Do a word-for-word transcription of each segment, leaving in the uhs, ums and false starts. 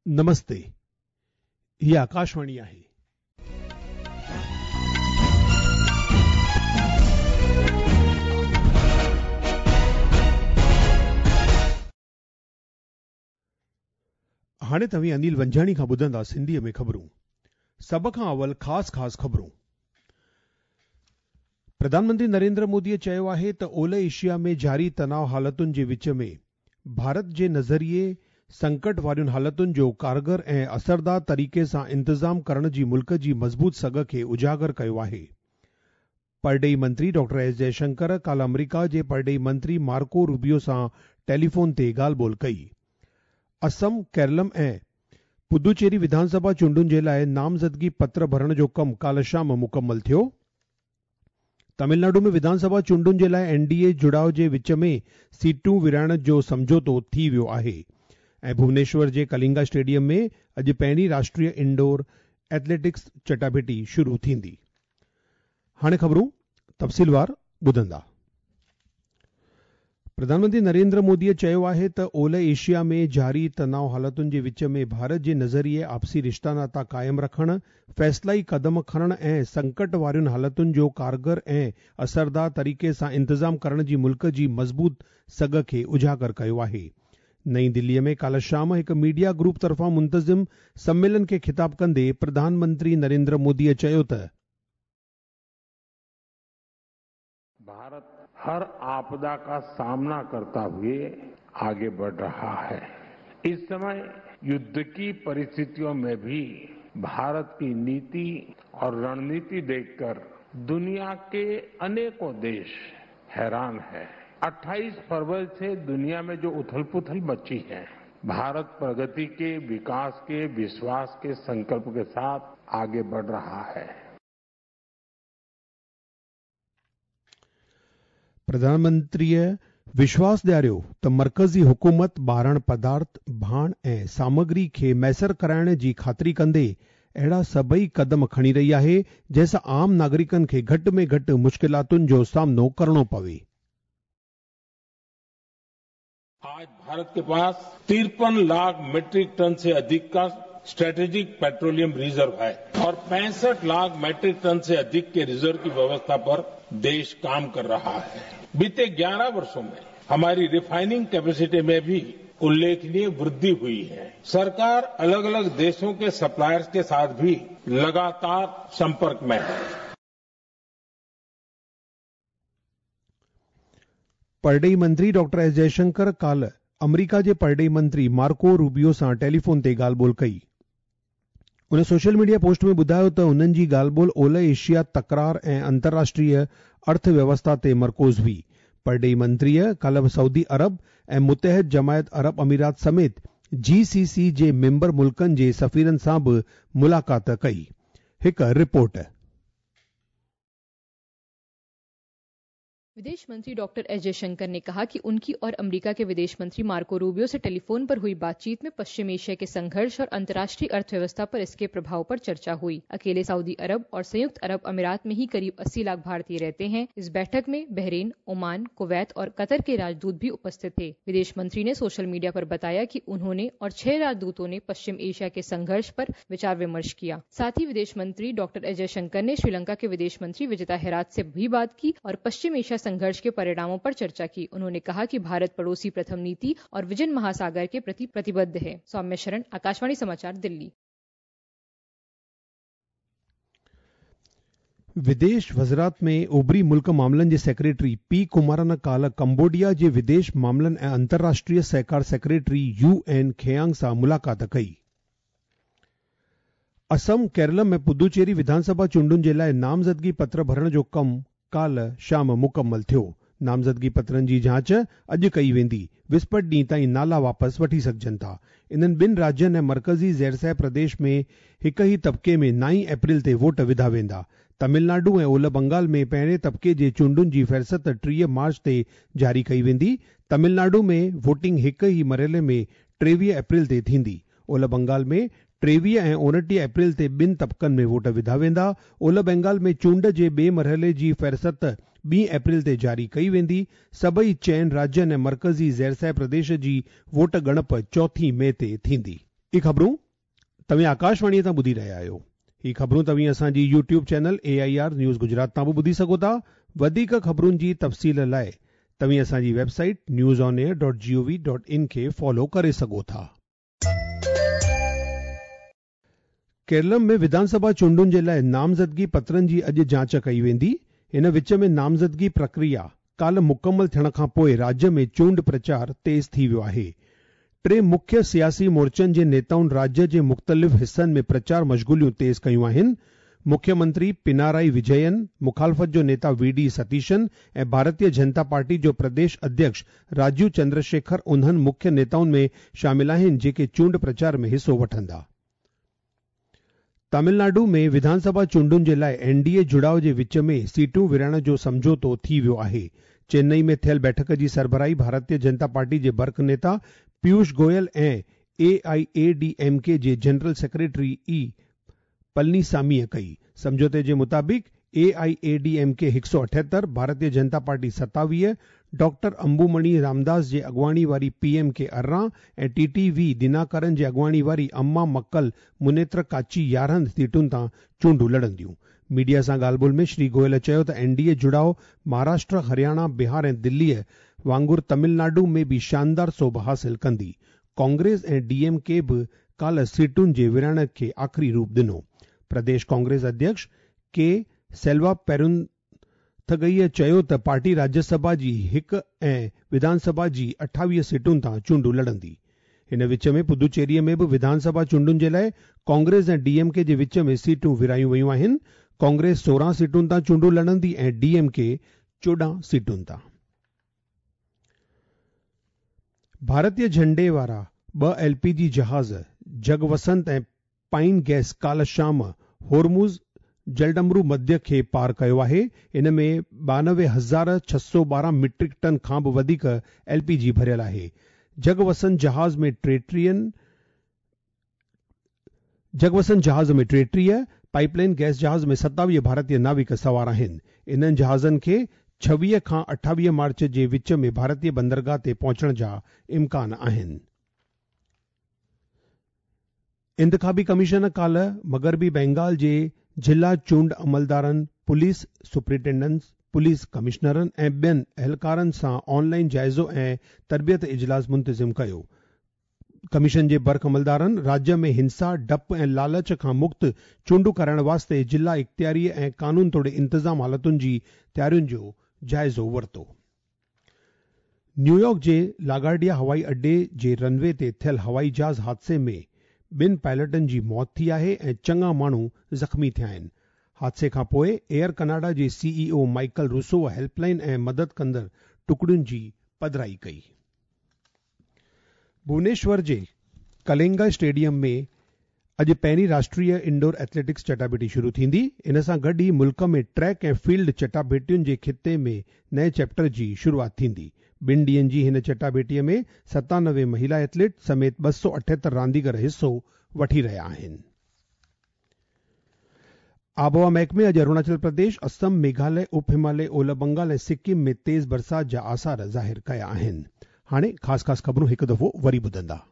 नमस्ते, ही आकाशवाणी आहे. हाणे तव्हीं अनिल वंजाणी खां ॿुधंदा सिंधीअ में ख़बरूं. सभ खां अवल ख़ासि ख़ासि ख़बरूं. प्रधानमंत्री नरेंद्र मोदीअ चयो आहे त ओलह एशिया में जारी तनाव हालतुनि जे विच में भारत जे नज़रिए संकट वारियुनि हालतुनि जो कारगर ऐं असरदार तरीक़े सां इंतज़ाम करण जी मुल्क जी मज़बूत सघ खे उजागर कयो आहे. परॾेही मंत्री डॉक्टर एस जयशंकर काल्ह अमरीका जे परॾेही मंत्री मार्को रूबियो सां टेलीफोन ते ॻाल्हि ॿोल कई. असम, केरलम ऐं पुदुचेरी विधानसभा चूंडुनि जे लाइ नामज़दगी पत्र भरण जो कमु काल्ह शाम मुकमल थियो. तमिलनाडु में विधानसभा चूंडुनि जे लाइ एनडीए जुड़ाव जे विच में सीटूं विराइण जो सम्झौतो थी वियो आहे. ऐं भुवनेश्वर जे कलिंगा स्टेडियम में अॼु पहिरीं राष्ट्रीय इंडोर एथलेटिक्स चटाभेटी शुरू थींदी. हाणे ख़बरूं तफ़सीलवार ॿुधंदा. प्रधानमंत्री नरेंद्र मोदीअ चयो आहे त ओलह एशिया में जारी तनाव हालतुनि जे विच में भारत जे नज़रिए आपसी रिश्ता नाता क़ाइमु रखण, फ़ैसिलाई क़दम खणण ऐं संकट वारियुनि हालतुनि जो कारगर ऐं असरदार तरीक़े सां इंतज़ाम करण जी मुल्क जी मज़बूत सघ खे उजागर कयो आहे. नई दिल्लीअ में काल्ह शाम हिकु मीडिया ग्रुप तरफ़ां मुंतज़िम सम्मेलन खे ख़िताब कंदे प्रधानमंत्री नरेंद्र मोदीअ चयो त भारत हर आपदा का सामना करता हुए आगे बढ़ रहा है. इस समय युद्ध की परिस्थितियों में भी भारत की नीति और रणनीति देखकर दुनिया के अनेकों देश हैरान हैं. अट्ठाईस फरवरी से दुनिया में जो उथल-पुथल मची है, भारत प्रगति के, विकास के, विश्वास के संकल्प के साथ आगे बढ़ रहा है. प्रधानमंत्रीअ विश्वास ॾियारियो त मर्कज़ी हुकूमत ॿारण पदार्थ, भाण ऐं सामग्री खे मयसर कराइण जी ख़ातिरी कंदे अहिड़ा सभई कदम खणी रही आहे जंहिंसां आम नागरिकनि खे घटि में घटि मुश्किलातुनि जो सामनो करिणो पवे. आज भारत के पास तिरपन लाख मीट्रिक टन से अधिक का स्ट्रेटेजिक पेट्रोलियम रिजर्व है और पैंसठ लाख मीट्रिक टन से अधिक के रिजर्व की व्यवस्था पर देश काम कर रहा है. बीते ग्यारह वर्षों में हमारी रिफाइनिंग कैपेसिटी में भी उल्लेखनीय वृद्धि हुई है. सरकार अलग अलग देशों के सप्लायर्स के साथ भी लगातार संपर्क में है. परॾेही मंत्री डॉक्टर एस जयशंकर काल्ह अमरीका जे परॾेही मंत्री मार्को रूबियो सां टेलीफोन ते ॻाल्हि ॿोल कई. उन सोशल मीडिया पोस्ट में ॿुधायो त हुननि जी ॻाल्हि ॿोल ओलह एशिया तकरार ऐं अंतर्राष्ट्रीय अर्थव्यवस्था ते मरकूज़ हुई. परॾेही मंत्रीअ काल्ह सऊदी अरब ऐं मुतहद जमायत अरब अमीरात समेत जी सी सी जे मेंबर मुल्कनि जे सफ़ीरनि सां बि मुलाक़ात कई. हिकु रिपोर्ट. विदेश मंत्री डॉक्टर एस जयशंकर ने कहा कि उनकी और अमेरिका के विदेश मंत्री मार्को रूबियो से टेलीफोन पर हुई बातचीत में पश्चिम एशिया के संघर्ष और अंतर्राष्ट्रीय अर्थव्यवस्था पर इसके प्रभाव पर चर्चा हुई. अकेले सऊदी अरब और संयुक्त अरब अमीरात में ही करीब अस्सी लाख भारतीय रहते हैं. इस बैठक में बहरीन, ओमान, कुवैत और कतर के राजदूत भी उपस्थित थे. विदेश मंत्री ने सोशल मीडिया पर बताया कि उन्होंने और छह राजदूतों ने पश्चिम एशिया के संघर्ष पर विचार विमर्श किया. साथ ही विदेश मंत्री डॉक्टर एस जयशंकर ने श्रीलंका के विदेश मंत्री विजिता हेरात से भी बात की और पश्चिम एशिया संघर्ष के परिणामों पर चर्चा की. उन्होंने कहा कि भारत पड़ोसी प्रथम नीति और विजन महासागर के प्रति प्रतिबद्ध है. सौम्य शरण, आकाशवाणी समाचार, दिल्ली. विदेश वज़ारत में उभरी मुल्क मामलनि जे सेक्रेटरी पी कुमारन काल्ह कंबोडिया जे विदेश मामलनि ऐं अंतर्राष्ट्रीय सहकार सेक्रेटरी यू एन खेयांग सां मुलाक़ात कई. असम, केरलम ऐं पुदुचेरी विधानसभा चूंडुनि जे लाइ नामज़दगी पत्र भरण जो कमु काल्ह शाम मुकमल थियो. नामज़दगी पत्रनि जी जांच अॼु कई वेंदी. विस्पत ॾींहुं ताईं नाला वापसि वठी सघजनि था. इन्हनि ॿिनि राज्यनि ऐं मर्कज़ी ज़ेरसह प्रदेश में हिकु ई तबिके में नाई अप्रैल ते वोट विधा वेंदा. तमिलनाडु ऐं ओलह बंगाल में पहिरें तबिके जे चूंडुनि जी फ़हरिस्त टीह मार्च ते जारी कई वेंदी. तमिलनाडु में वोटिंग हिकु ई मरहले में टेवीह अप्रैल ते थींदी. ओलह बंगाल में टेवीह ऐं उणिटीह अप्रैल ते ॿिनि तबिकनि में वोट विधा वेंदा. ओलह बंगाल में चूंड जे ॿिए मरहले जी फ़हरिस्त ॿी अप्रैल ते जारी कई वेंदी. सभई चइनि राज्यनि ऐं मर्कज़ी ज़ेरसह प्रदेश जी वोट ॻणप चोथीं मई ते थींदी. ही ख़बरूं तव्हीं आकाशवाणीअ तां ॿुधी रहिया आहियो। ही ख़बरूं तव्हीं असांजी YouTube channel A I R news Gujarat तां बि ॿुधी सघो था। वधीक ख़बरुनि जी तफ़सील लाइ तव्हीं असांजी website news on air dot G O V dot in खे फॉलो करे सघो था। केरलम में विधानसभा चूंडुनि जे लाइ नामज़दगी पत्रनि जी अॼु जांच कई वेंदी। हिन विच में नामज़दगी प्रक्रिया काल्ह मुकमल थियण खां पोइ राज्य में चूंड प्रचार तेज़ थी वियो आहे। टे मुख्य सियासी मोर्चनि जे नेताउनि राज्य जे मुख़्तलिफ़ हिसनि में प्रचार मशगूलियूं तेज़ कयूं आहिनि। मुख्यमंत्री पिनाराई विजयन, मुखालफ़त जो नेता we D Satheesan ऐं भारतीय जनता पार्टी जो प्रदेश अध्यक्ष राजीव चंद्रशेखर उन्हनि मुख्य नेताउनि में शामिल आहिनि जेके चूंड प्रचार में हिसो वठंदा। तमिलनाडु में विधानसभा चूंडुनि जे लाइ एन डी ए जुड़ाव जे विच में सीटूं विरहाइण जो सम्झौतो थी वियो आहे। चेन्नई में थियल बैठक जी सरबराही भारतीय जनता पार्टी जे बर्क नेता पीयूष गोयल ऐं A I A D M K जे जनरल सेक्रेटरी ई पलनीसामीअ कई। सम्झौते जे मुताबिक़ A I A D M K हिकु सौ अठहतरि, भारतीय जनता पार्टी सतावीह, डॉक्टर अंबुमणि रामदास जे अॻुवाणी वारी पी एम के अरिड़हं ऐं टी टी वी दिनाकरन जे अॻुवाणी वारी अम्मा मक्कल मुनेत्र काची यारहं सीटुनि तां चूंडूं लड़ंदियूं। मीडिया सां ॻाल्हि ॿोल में श्री गोयल चयो त एन डी ए जुड़ाव महाराष्ट्र, हरियाणा, बिहार ऐं दिल्लीअ वांगुरु तमिलनाडु में बि शानदार सोभ हासिल कंदी। कांग्रेस ऐं डी एम के बि काल्ह सीटुनि जे विरहाइण खे आख़िरी रूप ॾिनो। प्रदेश कांग्रेस अध्यक्ष के सेल्वा पेरुंथगईअ चयो त पार्टी राज्यसभा जी हिकु ऐं विधानसभा जी अठावीह सीटुनि तां चूंडूं लड़ंदी। हिन विच में पुदुचेरीअ में बि विधानसभा चूंडुनि जे लाइ कांग्रेस ऐं डी एम के जे विच में सीटूं विरहायूं वयूं आहिनि। कांग्रेस सोरहं सीटुनि तां चूंडूं लड़ंदी ऐं डी एम के चोॾहं सीटुनि तां। भारतीय झंडे वारा ॿ एल पी जी जहाज़ जगवसंत ऐं पाइन गैस काल्ह शाम होर्मुज़ जलडमरू मध्य खे पार कयो आहे। इन में ॿानवे हज़ार छह सौ ॿारहं मीट्रिक टन खां बि वधीक एल पी जी भरियल आहे। जगवसंत जहाज़ में टे जगवसंत जहाज़ में टेटीह, पाइपलाइन गैस जहाज़ में सतावीह भारतीय नाविक सवार आहिनि। इन्हनि जहाज़नि खे छवीह खां अठावीह मार्च जे विच में भारतीय बंदरगाह ते पहुचण जा इम्कान आहिनि। इंतखाबी कमीशन काल्ह मग़रबी बंगाल जे जिला चूंड अमलदारनि, पुलिस सुपरिटेंडेंट्स, पुलिस कमिश्नरनि ऐं ॿियनि अहलकारनि सां ऑनलाइन जाइज़ो ऐं तरबियत इजलास मुंतज़िम कयो। कमीशन जे बर्क अमलदारनि राज्य में हिंसा, डपु ऐं लालच खां मुक्त चूंडूं कराइण वास्ते जिला इख़्तियारी ऐं कानून तोड़े इंतज़ाम हालतुनि जी तयारियुनि जो जाइज़ो वरितो। न्यूयॉर्क जे लागार्डिया हवाई अड्डे जे रनवे ते थियल हवाई जहाज़ हादसे में ॿिनि पायलटनि जी मौत थी आहे ऐं चङा माण्हू ज़ख़्मी थिया आहिनि। हादसे खां पोइ एयर कनाडा जे C E O Michael Rousseau helpline ऐं मदद कंदड़ टुकड़ियुनि जी पधराई कई। भुवनेश्वर जे कलिंगा स्टेडियम में अॼु पहिरीं राष्ट्रीय इंडोर एथलेटिक्स चटाभेटी शुरू थींदी। इन सां गॾु ई मुल्क में ट्रैक ऐं फील्ड चटाभेटियुनि जे खिते में नए चैप्टर जी शुरूआत थींदी। ॿिनि ॾींहनि जी हिन चटाभेटीअ में सतानवे महिला एथलीट समेत ॿ सौ अठहतरि रांदीगर हिसो वठी रहिया आहिनि। आबहवा महकमे अॼु अरुणाचल प्रदेश, असम, मेघालय, उप हिमालय, ओलह बंगाल ऐं सिक्किम में तेज़ बरसाति जा आसार ज़ाहिर कया आहिनि। हाणे ख़ासि ख़ासि ख़बरूं हिकु दफ़ो वरी ॿुधंदा।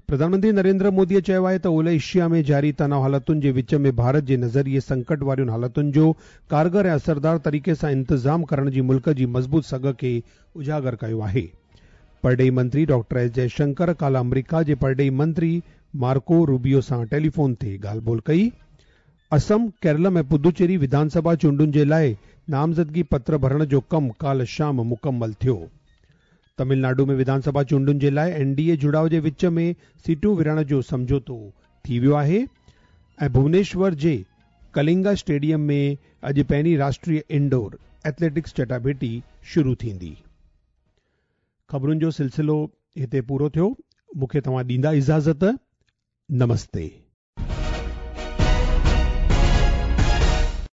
प्रधानमंत्री नरेंद्र मोदीअ चयो आहे त ओलह एशिया में जारी तनाव हालतुनि जे विच में भारत जे नज़रिए संकट वारियुनि हालतुनि जो कारगर ऐं असरदार तरीक़े सां इंतज़ाम करण जी मुल्क जी मज़बूत सघ खे उजागर कयो आहे। परॾेही मंत्री डॉक्टर एस जयशंकर काल्ह अमरीका जे परॾेही मंत्री मार्को रूबियो सां टेलीफोन ते ॻाल्हि ॿोल कई। असम, केरलम ऐं पुदुचेरी विधानसभा चूंडुनि जे लाइ नामज़दगी पत्र भरण जो कमु काल्ह शाम मुकमल थियो। तमिलनाडु में विधानसभा चूंडुनि जे लाइ एन डी ए जुड़ाव जे विच में सीटूं विरहाइण जो सम्झौतो थी वियो आहे ऐं भुवनेश्वर जे कलिंगा स्टेडियम में अॼु पहिरीं राष्ट्रीय इंडोर एथलेटिक्स चटाभेटी शुरू थींदी। ख़बरुनि जो सिलसिलो हिते पूरो थियो। मूंखे तव्हां ॾींदा इजाज़त। नमस्ते।